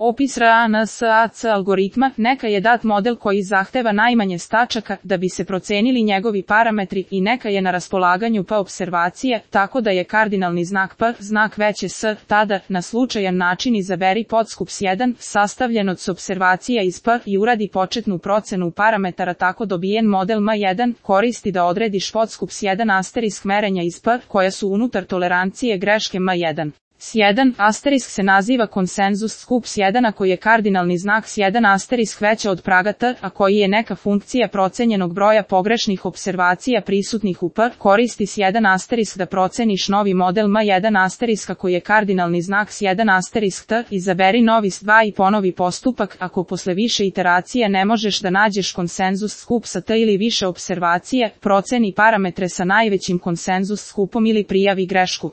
Opis RANSAC algoritma, neka je dat model koji zahteva najmanje tačaka da bi se procenili njegovi parametri i neka je na raspolaganju P observacije, tako da je kardinalni znak P znak veće S, tada, na slučajan način izaberi podskups 1, sastavljen od opservacija iz P i uradi početnu procenu parametara tako dobijen model M1, koristi da odrediš podskups 1 asterisk merenja iz P, koja su unutar tolerancije greške M1. S1 asterisk se naziva konsenzus skups 1 ako je kardinalni znak S1 asterisk veća od praga T, a koji je neka funkcija procenjenog broja pogrešnih observacija prisutnih u P, koristi S1 asterisk da proceniš novi model M1 asterisk ako je kardinalni znak S1 asterisk T, izaberi novi S2 i ponovi postupak ako posle više iteracija ne možeš da nađeš konsenzus skup sa T ili više observacije, proceni parametre sa najvećim konsenzus skupom ili prijavi grešku.